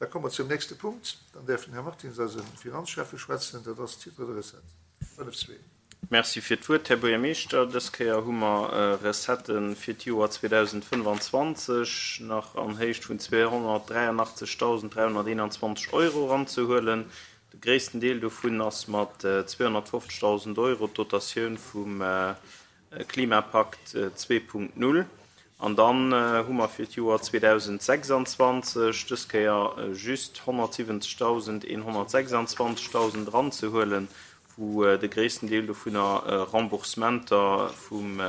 Da komme mer zum nächste Punkt. Dann däerf den Här Martins, eise Finanzschäffe, schwätzen. Dat ass d'Titre de recettes 5.2. Merci fir d'Wuert, Här Buergermeeschter. Dës Kéier hu mer Recettë fir d'Joer 2025 nach an Héicht vun 283.321 Euro eranzehuelen. De gréissten Deel dovun ass mat 250.000 Euro d'Dotatioun vum Klimapakt 2.0. An dann hu mer fir d'Joer 2026 dës Kéier just 170.126 Dausend eranzehuelen, wou de gréissten Deel dovunner Remboursementer vum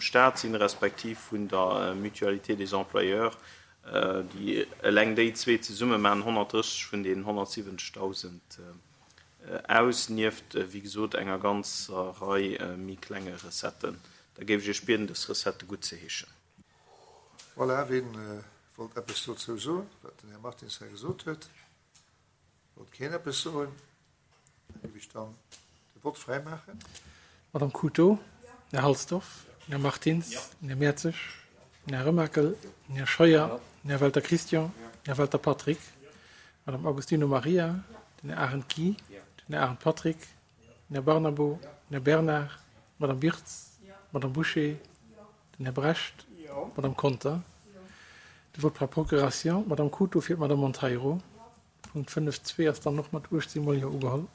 Stat sinn, respektiv vun der Mutualité des employeurs. Déi, eleng déi zwee zesumme maachen 130 vun deenen 170.000 aus, nieft, wéi gesot, enger ganzer Rei méi klenge Recetten. Da géif ech Iech bieden, dës Recettë guttzeheeschen. Voilà, ween wollt eppes dozou soen, wat den Här Martins hei gesot huet? Wollt keen eppes soen? Da géif ech dann de Vott fräimaachen. Madame Couto, Här Halsdorf, Här Martins, Här Mertzig, Här Remakel, Här Scheuer, Här Welter Christian, Här Welter Patrick, Madame Agostino Maria, den Här Arendt Guy, den Här Arendt Patrick, den Här Barnabo, den Här Bernard, d'Madame Birtz, d'Madame Bouché, Den Här Brecht, d'Madame Conter. De Vote par procuration, d'Madame Couto fir d'Madame Monteiro. Punkt 5.2 ass dann och mat 18 mol Jo ugeholl.